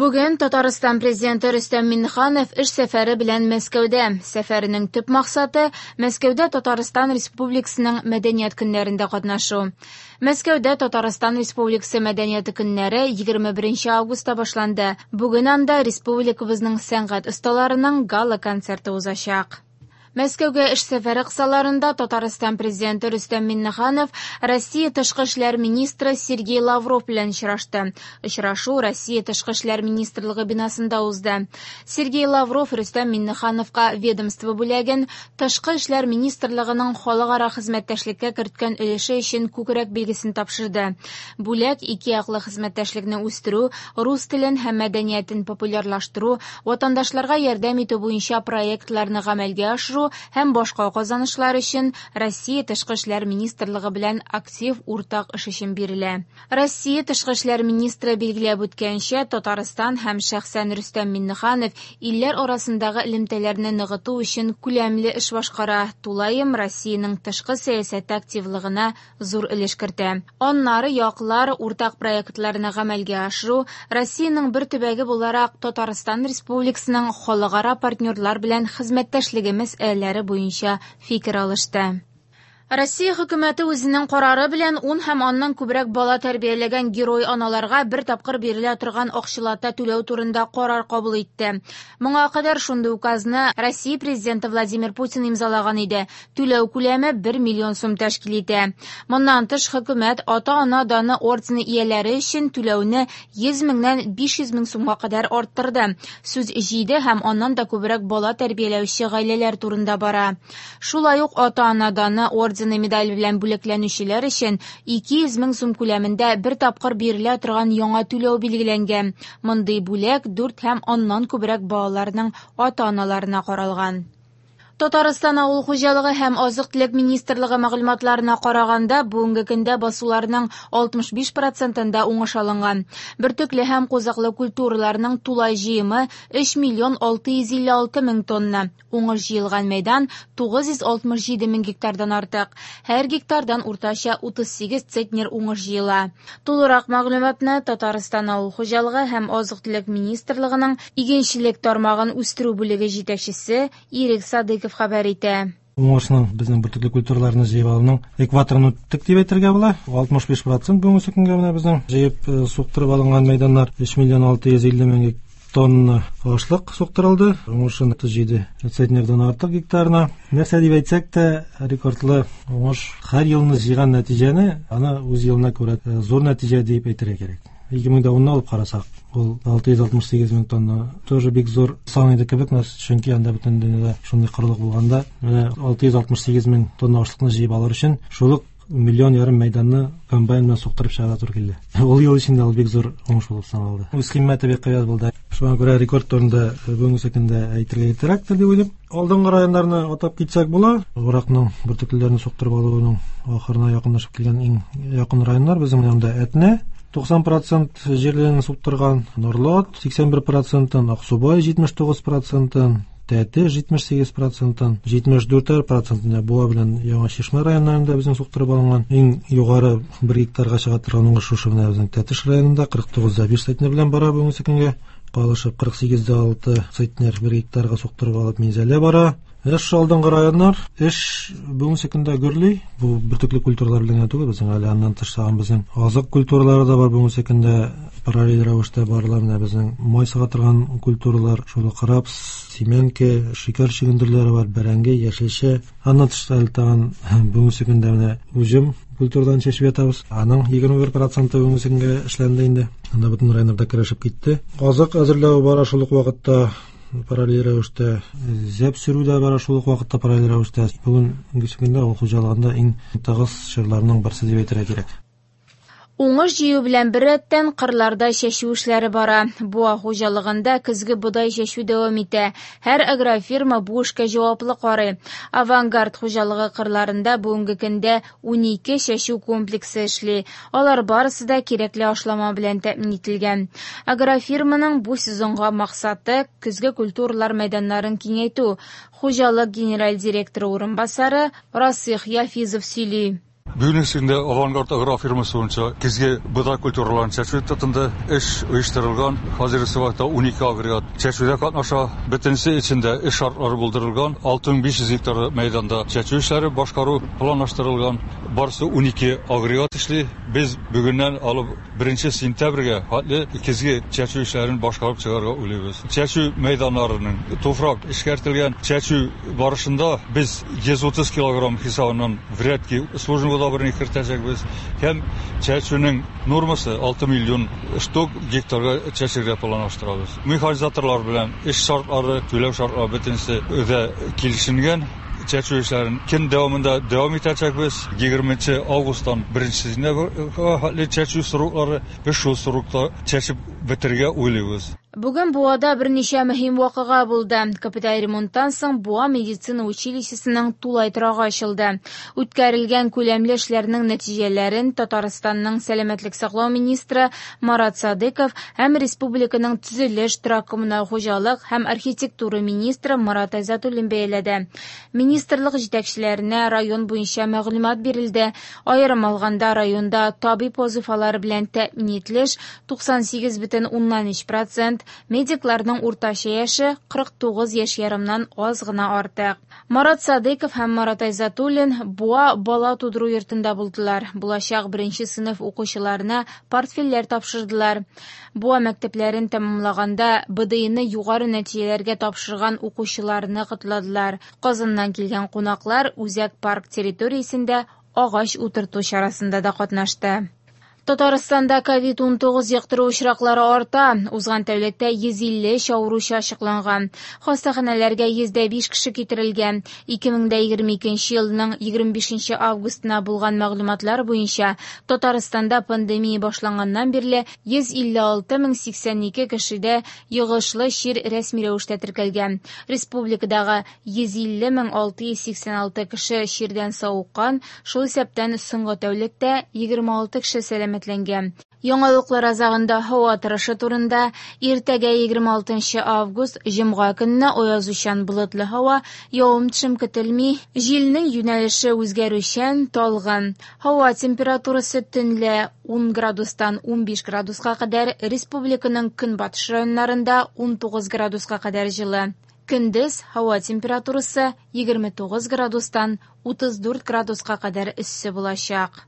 Бүген Татарстан Президенты Рөстәм Миңнеханов эш сәфәре белән Мәскәүдә. Сәфәренең төп максаты Мәскәүдә Татарстан Республикасының Мәдәният көннәрендә катнашу. Мәскәүдә Татарстан Республикасы Мәдәнияте көннәре 21 августта башланды. Бүген анда республикабызның сәнгать осталарының гала-концерты узачак. Мәскәүгә эш сәфәре кысаларында Татарстан Президенты Рөстәм Миңнеханов Россия Тышкы эшләр министры Сергей Лавров белән очрашты. Очрашу Россия Тышкы эшләр министрлыгы бинасында узды. Сергей Лавров Рөстәм Миңнехановка ведомство бүләген Тышкы эшләр министрлыгының халыкара хезмәттәшлеккә керткән өлеше өчен күкрәк билгесен тапшырды. Бүләк ике яклы хезмәттәшлекне үстерү, рус телен һәм мәдәниятен популярлаштыру, ватандашларга ярдәм итү буенча проектларны гамәлгә ашыру һәм башка казанышлар өчен Россия Тышкы эшләр министрлыгы белән актив уртак эш өчен бирелә. Россия Тышкы эшләр министры билгеләп үткәнчә, Татарстан һәм шәхсән Рөстәм Миңнеханов илләр арасындагы элемтәләрне ныгыту өчен күләмле эш башкара, тулаем Россиянең тышкы сәясәте активлыгына зур өлеш кертә. Аннары яклар уртак проектларны гамәлгә ашыру, Россиянең бер төбәге буларак Татарстан Республикасының халыкара партнерлар белән хезмәттәшлеге мәсьәләләре буенча фикер алышты. Россия хөкүмәте үзенең карары белән 10 һәм аннан күбрәк бала тәрбияләгән герой аналарга бер тапкыр бирелә торган акчалата түләү турында карар кабул итте. Моңа кадәр шундый указны Россия Президенты Владимир Путин имзалаган иде. Түләү күләме 1 миллион сум тәшкил итә. Моннан тыш хөкүмәт ата-ана даны ордены ияләре өчен түләүне 100 меңнән 500 мең сумга кадәр арттырды. Сүз 7 һәм аннан да күбрәк бала тәрбияләүче гаиләләр турында бара. Шулай ук ата-ана даны ордены медаль белән бүләкләнүчеләр өчен 200 мең сум күләмендә бер тапкыр бирелә торган яңа түләү билгеләнгән. Мондый бүләк 4 һәм аннан күбрәк балаларның ата-аналарына каралган. Татарстан авыл хуҗалыгы һәм азык-төлек министрлыгы мәгълүматларына караганда, бүгенге көндә басуларның 65 процентында уңыш алынган. Бөртекле һәм кузаклы культураларның тулай җыемы 3 миллион 656 мең тонна. Уңыш җыелган мәйдан 967 мең гектардан артык. Һәр гектардан уртача 38 центнер уңыш җыела. Тулырак мәгълүматны Татарстан авыл хуҗалыгы һәм азык-төлек министрлыгының игенчелек тармагын үстерү бүлеге җитәкчесе Ирек Садыков хәбәр итә. Уңышның безнең бөртекле культураларны җыеп алуның экваторын үттек дип әйтергә була. 65% бүгенге көнгә менә безнең җыеп суктырып алынган мәйданнар 3 миллион 650 мең тонна ашлык суктырылды. Уңышын 37 центнердан артык гектарына. Нәрсә дип әйтсәк тә, рекордлы уңыш һәр елны җыйган нәтиҗәне аны үз елына күрә зур нәтиҗә дип әйтергә кирәк. 2010-ны алып карасак, ул 668 мең тонна тоже бик зур сан иде кебек, чөнки анда бөтен дөньяда шундый корылык булганда, менә 668 мең тонна ашлыкны җыеп алыр өчен шул ук миллион ярым мәйданны комбайн белән суктырып чыгарга туры килде. Ул ел эчендә ул бик зур уңыш булып саналды. Үз кыйммәте бик кыйбат булды. Шуңа күрә рекорд турында бүгенге көндә әйтергә иртәрәктер дип уйлыйм. Алдынгы районнарны атап китсәк була. Уракның бөртеклеләрне суктырып алуның ахырына якынлашып килгән иң якын районнар безнең янда Әтнә 90% җирләрен суктырган, Норлат 81%, Аксубай 79%, Тәте 78%, 74% Буа белән Яңа Чишмә районнарында безнең суктырып алынган. Иң югары 1 гектарга чыга торган уңыш шушы менә безнең Тәтеш районында 49,5 центнер белән бара бүгенге көнгә. Калышып 48,6 центнер 1 гектарга суктырып алып Минзәлә бара. Эш алдынгы районнар, эш бүгенге көндә гөрли. Бу бөртекле культуралар белән генә түгел, безнең әле аннан тыш тагын безнең азык культуралары да бар бүгенге көндә параллель рәвештә барыла. Менә безнең май сыга торган культуралар, шул ук рапс, семенка, шикәр чөгендерләре бар, бәрәңге, яшелчә. Аннан тыш әле тагын бүгенге көндә менә уҗым культурадан чәчеп ятабыз. Аның 21% бүгенге көнгә эшләнде инде. Анда бөтен районнарда керәшеп китте. Азык әзерләү бара шул ук вакытта параллель рәвештә, зәп сөрү дә бара шул ук вакытта параллель рәвештә. Бүгенге көндә авыл хуҗалыгында иң тыгыз чорларның берсе дип әйтергә кирәк. Уңыш җыю белән беррәттән кырларда чәчү эшләре бара. Буа хуҗалыгында көзге бодай чәчү дәвам итә. Һәр агрофирма бу эшкә җаваплы карый. Авангард хуҗалыгы кырларында бүгенге көндә 12 чәчү комплексы эшли. Алар барысы да кирәкле ашлама белән тәэмин ителгән. Агрофирманың бу сезонга максаты көзге культуралар мәйданнарын киңәйтү. Хуҗалык генераль директоры урынбасары Расих Яфизов сөйли. Бүгенге көндә Авангард агрофирмасы буенча көзге бодай культураларын чәчү тотынды. Эш оештырылган. Хәзерге вакытта 12 агрегат чәчүдә катнаша. Бөтенесе өчен дә эш шартлары булдырылган. 6500 гектар мәйданда чәчү эшләре башкару планлаштырылган. Барысы 12 агрегат эшли. Без бүгеннән алып 1 сентябрьгә хәтле көзге чәчү эшләрен башкарып чыгарга уйлыйбыз. Чәчү мәйданнарының туфрак эшкәртелгән. Чәчү барышында без 130 килограмм хисабыннан врядки сложный удобрение кертәчәкбез. Һәм чәчүнең нормасы 6 миллион штук гектарга чәчергә планлаштырабыз. Механизаторлар белән эш шартлары, түләү шартлары бөтенесе дә килешенгән. Чәчү эшләрен көн дәвамында дәвам итәчәкбез. 20 августтан 1 сентябрьгә хәтле чәчү сроклары, без шул срокта чәчеп бетерергә уйлыйбыз. Бүген Буада берничә мөһим вакыйга булды. Капиталь ремонттан соң Буа медицина училищесының тулай торагы ачылды. Үткәрелгән күләмле эшләрнең нәтиҗәләрен Татарстанның сәламәтлек саклау министры Марат Садыков һәм республиканың төзелеш, торак коммуналь хуҗалык һәм архитектура министры Марат Айзатуллин бәяләде. Министрлык җитәкчеләренә район буенча мәгълүмат бирелде. Аерым алганда районда табиб вазифалары белән тәэмин ителеш 98,3%, медикларның уртача яше 49 яшь ярымнан аз гына артык. Марат Садыков һәм Марат Айзатуллин Буа бала тудыру йортында булдылар. Булачак беренче сыйныф укучыларына портфельләр тапшырдылар. Буа мәктәпләрен тәмамлаганда БДИны югары нәтиҗәләргә тапшырган укучыларны котладылар. Казаннан килгән кунаклар Үзәк парк территориясендә агач утырту чарасында да катнашты. Татарстанда COVID-19 йоктыру очраклары арта. Узган тәүлектә 153 авыручы ачыкланган. Хастаханәләргә 105 кеше китерелгән. 2022 елның 25 августына булган мәгълүматлар буенча Татарстанда пандемия башланганнан бирле 156 082 кешедә йогышлы чир рәсми рәвештә теркәлгән. Республикадагы 150 686 кеше чирдән савыккан, шул исәптән соңгы тәүлектә 26 кеше сәламәтләнгән. Яңалыклар азагында һава торышы турында. Иртәгә 26 август җомга көнне аязучан болытлы һава, явым-төшем көтелми. Җилнең юнәлеше үзгәрүчән, талгын. Һава температурасы төнлә 10 градустан 15 градуска кадәр, республиканың көнбатыш районнарында 19 градуска кадәр җылы. Көндез һава температурасы 29 градустан 34 градуска кадәр эссе булачак.